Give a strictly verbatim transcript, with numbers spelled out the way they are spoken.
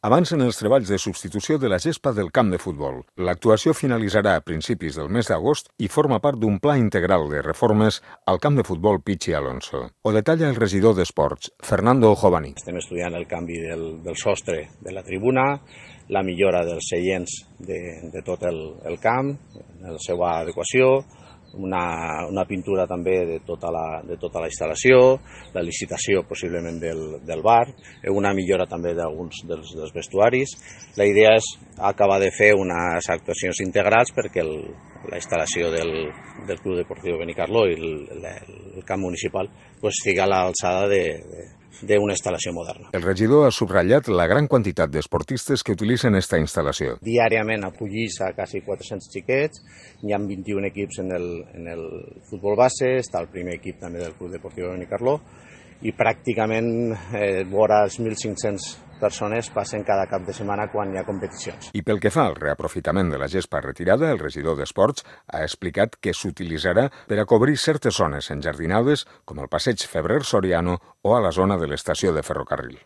Avancen els treballs de substitució de la gespa del camp de futbol. L'actuació finalitzarà a principis del mes d'agost i forma part d'un pla integral de reformes al camp de futbol Pichi Alonso. Ho detalla el regidor d'Esports, Fernando Jovani. Estem estudiant el canvi del, del sostre de la tribuna, la millora dels seients de, de tot el, el camp, la seva adequació, una, una pintura també de tota la, de tota la instal·lació, la licitació possiblement del, del bar, una millora també d'alguns dels, dels vestuaris. La idea és acabar de fer unes actuacions integrals perquè el, la instal·lació del, del Club Deportiu Benicarló i el, el, el camp municipal pues, estigui a l'alçada de, de d'una instal·lació moderna. El regidor ha subratllat la gran quantitat d'esportistes que utilitzen esta instal·lació. Diàriament acollís a quasi quatre-cents xiquets, hi ha vint-i-un equips en el, en el futbol base, està el primer equip també del Club Deportiu Benicarló, i pràcticament eh, vora els mil cinc-cents persones passen cada cap de setmana quan hi ha competicions. I pel que fa al reaprofitament de la gespa retirada, el regidor d'Esports ha explicat que s'utilitzarà per a cobrir certes zones enjardinades com el passeig Febrer Soriano o a la zona de l'estació de ferrocarril.